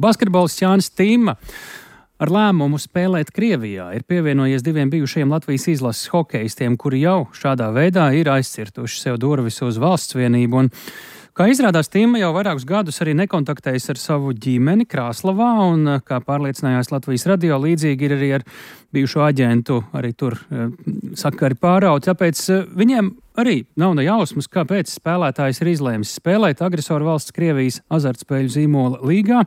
Basketbolists Jānis Timma ar lēmumu spēlēt Krievijā ir pievienojies diviem bijušajiem Latvijas izlases hokejistiem, kuri jau šādā veidā ir aizcirtuši sev durvis uz valsts vienību. Un, kā izrādās, Timma jau vairākus gadus arī nekontaktējas ar savu ģimeni Krāslavā, un, kā pārliecinājās Latvijas radio, līdzīgi ir arī ar bijušo aģentu, arī tur sakari pārauti. Tāpēc viņiem arī nav ne jausmas, kāpēc spēlētājs ir izlēmis spēlēt agresoru valsts Krievijas azartspēļu zīmola līgā.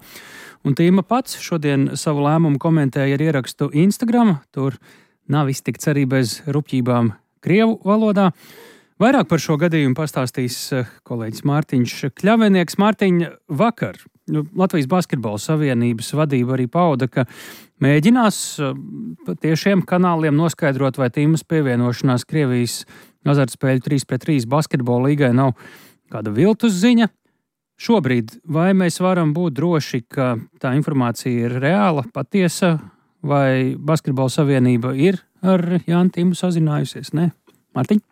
Un Timma pats šodien savu lēmumu komentēja ar ierakstu Instagram. Tur nav iztikts arī bez rupjībām krievu valodā. Vairāk par šo gadījumu pastāstīs kolēģis Mārtiņš Kļavinieks. Mārtiņ, vakar Latvijas Basketbola Savienības vadība arī pauda, ka mēģinās tiešiem kanāliem noskaidrot, vai Timmas pievienošanās Krievijas azartspēļu 3-3 basketbola līgai nav kāda viltus ziņa. Šobrīd vai mēs varam būt droši, ka tā informācija ir reāla, patiesa, vai Basketbola Savienība ir ar Jāni Timmu sazinājusies? Nē, Mārtiņ?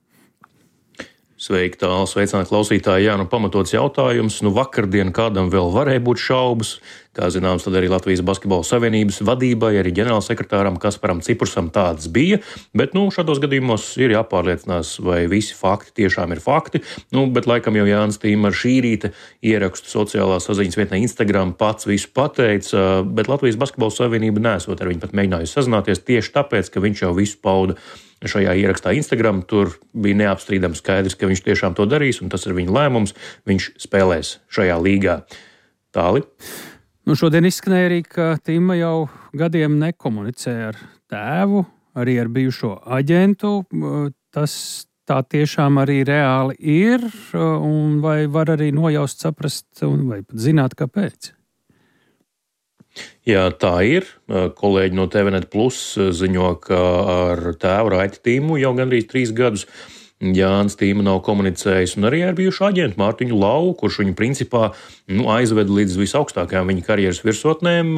Sveiki, tālu sveicināti klausītāji. Jā, pamatots jautājums. Vakardien kādam vēl varēja būt šaubas. Kā zināms, tad arī Latvijas Basketbola Savienības vadībai, arī ģenerālsekretāram Kasparam Cipursam tādas bija. Bet, šādos gadījumos ir jāpārliecinās, vai visi fakti tiešām ir fakti. Bet laikam jau Jānis Timma ar šī rīta ierakstu sociālā saziņas vietnē Instagram pats visu pateica, bet Latvijas Basketbola Savienība nesot ar viņu pat mēģinājusi sazināties tieši tāpēc, ka viņš jau visu pauda šajā ierakstā Instagram. Tur bija neapstrīdams skaidrs, ka viņš tiešām to darīs, un tas ir viņa lēmums. Viņš spēlēs šajā līgā. Tāli? Šodien izskanēja arī, ka Timma jau gadiem nekomunicē ar tēvu, arī ar bijušo aģentu. Tas tā tiešām arī reāli ir, un vai var arī nojaust, saprast, vai pat zināt, kāpēc? Jā, tā ir. Kolēģi no TVNet Plus ziņo, ka ar tēvu Raiti Timmu jau gandrīz 3 gadus Jānis Timma nav komunicējis, un arī ar bijušu aģentu Mārtiņu Lau, kurš viņu principā aizveda līdz visaugstākajām viņa karjeras virsotnēm.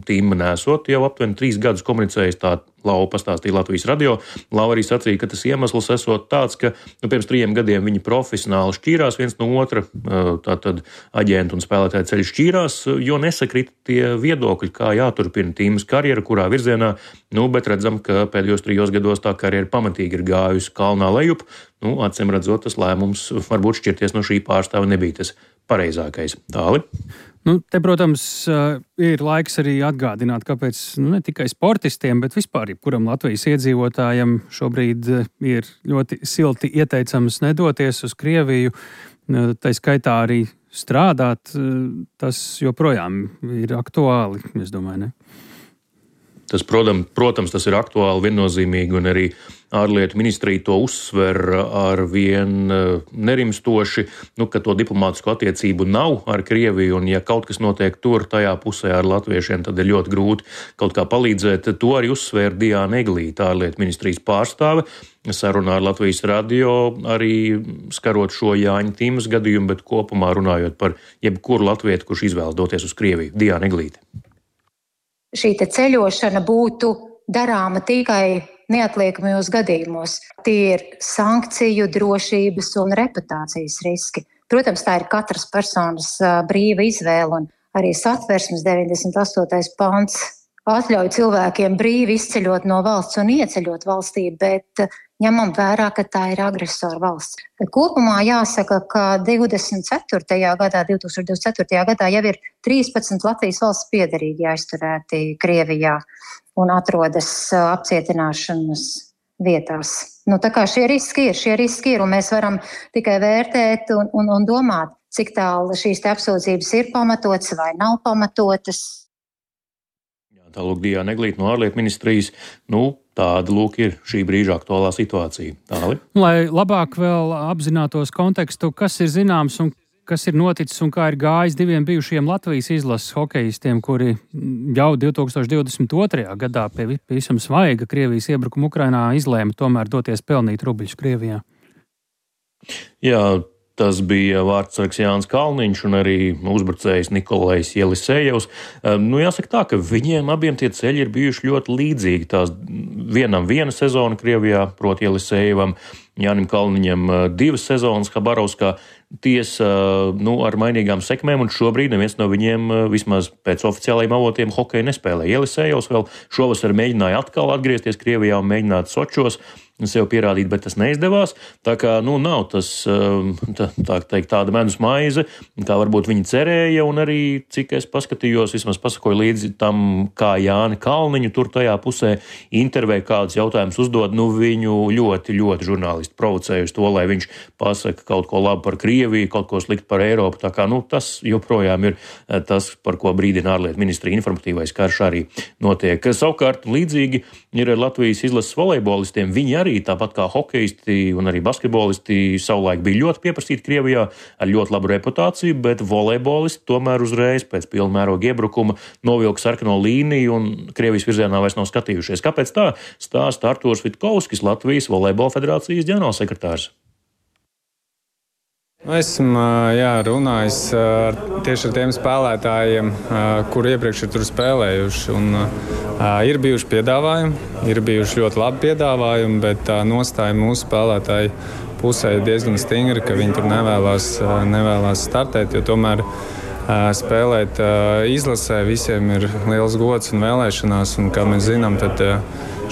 Timma nesot jau aptuveni 3 gadus komunicējis, tā Lau pastāstīja Latvijas radio. Lau arī sacīja, ka tas iemesls esot tāds, ka pirms 3 gadiem viņi profesionāli šķīrās viens no otra, tātad aģentu un spēlētāju ceļi šķīrās, jo nesakrita tie viedokļi, kā jāturpina Timmas karjera, kurā virzienā, bet redzam, ka pēdējos 3 gados tā karjera pamatīgi ir gājusi kalnā lejup. Acīm redzot, tas lēmums varbūt šķirties no šī pārstāva nebija tas pareizākais. Tāli? Te, protams, ir laiks arī atgādināt, kāpēc ne tikai sportistiem, bet vispār jebkuram Latvijas iedzīvotājam šobrīd ir ļoti silti ieteicams nedoties uz Krieviju, tai skaitā arī strādāt. Tas joprojām ir aktuāli, es domāju, ne? Tas, protams, tas ir aktuāli, viennozīmīgi, un arī ārlietu ministrija to uzsver ar vien nerimstoši, ka to diplomātisko attiecību nav ar Krieviju, un ja kaut kas notiek tur, tajā pusē ar latviešiem, tad ir ļoti grūti kaut kā palīdzēt. To arī uzsvēra Diāna Eglīte, ārlietu ministrijas pārstāve, sarunā ar Latvijas radio, arī skarot šo Jāņa Timmas gadījumu, bet kopumā runājot par jebkuru latvietu, kurš izvēlas doties uz Krieviju. Diāna Eglīte. Šī ceļošana būtu darāma tikai neatliekamajos gadījumos. Tie ir sankciju, drošības un reputācijas riski. Protams, tā ir katras personas brīva izvēle, un arī Satversmes 98. pants atļauj cilvēkiem brīvi izceļot no valsts un ieceļot valstī, bet ņemam vērā, ka tā ir agresora valsts. Kopumā jāsaka, ka 2024. gadā jau ir 13 Latvijas valsts piederīgi aizturēti Krievijā un atrodas apcietināšanas vietās. Tā kā šie riski ir, un mēs varam tikai vērtēt un domāt, cik tālu šīs apsūdzības ir pamatotas vai nav pamatotas. Tālūk Diāna Eglīte no ārlietu ministrijas. Tāda ir šī brīža aktuālā situācija. Tāli? Lai labāk vēl apzinātos kontekstu, kas ir zināms un kas ir noticis un kā ir gājis diviem bijušajiem Latvijas izlases hokejistiem, kuri jau 2022. gadā pie visam svaiga Krievijas iebrukuma Ukrainā izlēma tomēr doties pelnīt rubļus Krievijā. Jā, Tas bija vārdsargs Jānis Kalniņš un arī uzbrucējs Nikolais Jelisejevs. Jāsaka tā, ka viņiem abiem tie ceļi ir bijuši ļoti līdzīgi. Tās vienam viena sezona Krievijā, proti Jelisejevam, Jānim Kalniņam 2 sezonas Habarovskā. Tiesa, ar mainīgām sekmēm, un šobrīd neviens no viņiem, vismaz pēc oficiālajiem avotiem, hokeju nespēlē. Jelisejevs vēl šovasar mēģināja atkal atgriezties Krievijā un mēģināt Sočos sev pierādīt, bet tas neizdevās. Tā kā, nav tas, tā teikt, tāda medus maize, kā varbūt viņi cerēja, un arī, cik es paskatījos, vismaz pasakoju līdzi tam, kā Jāni Kalniņu tur tajā pusē intervēja, kādus jautājumus uzdod, viņu ļoti, ļoti žurnālisti provocēja uz to, lai viņš pasaka kaut ko labu par Krieviju, kaut ko sliktu par Eiropu. Tā kā, tas joprojām ir tas, par ko brīdina ārlietu ministrija informatīvais karš arī notiek. Savukārt, līdzīgi ir ar Latvijas izlases volejbolistiem. Viņi arī, tāpat kā hokeisti un arī basketbolisti, savulaik bija ļoti pieprasīti Krievijā ar ļoti labu reputāciju, bet volejbolisti tomēr uzreiz pēc pilnmēroga iebrukuma novilka sarkano līniju un Krievijas virzienā vairs nav skatījušies. Kāpēc tā? Stāsta Artūrs Vitkovskis, Latvijas volejbola federācijas ģenerālsekretārs. Esmu runājis tieši ar tiem spēlētājiem, kuri iepriekš ir tur spēlējuši. Ir bijuši piedāvājumi, ir bijuši ļoti labi piedāvājumi, bet tā nostāja mūsu spēlētāju pusē ir diezgan stingra, ka viņi tur nevēlās startēt, jo tomēr spēlēt izlasē visiem ir liels gods un vēlēšanās, un kā mēs zinām, tad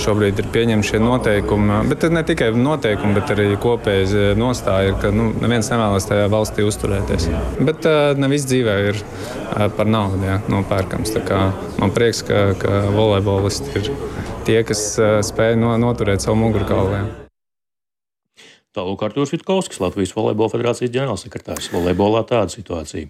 šobrīd ir pieņemti šie noteikumi, bet ne tikai noteikumi, bet arī kopēja nostāja, ka neviens nevēlas tajā valstī uzturēties. Bet ne viss dzīvē ir par naudu nopērkams. Tā kā man prieks, ka volejbolisti ir tie, kas spēj noturēt savu mugurkaulu. Tālūk Artūrs Vitkovskis, Latvijas volejbola federācijas ģenerālsekretārs. Volejbolā tāda situācija.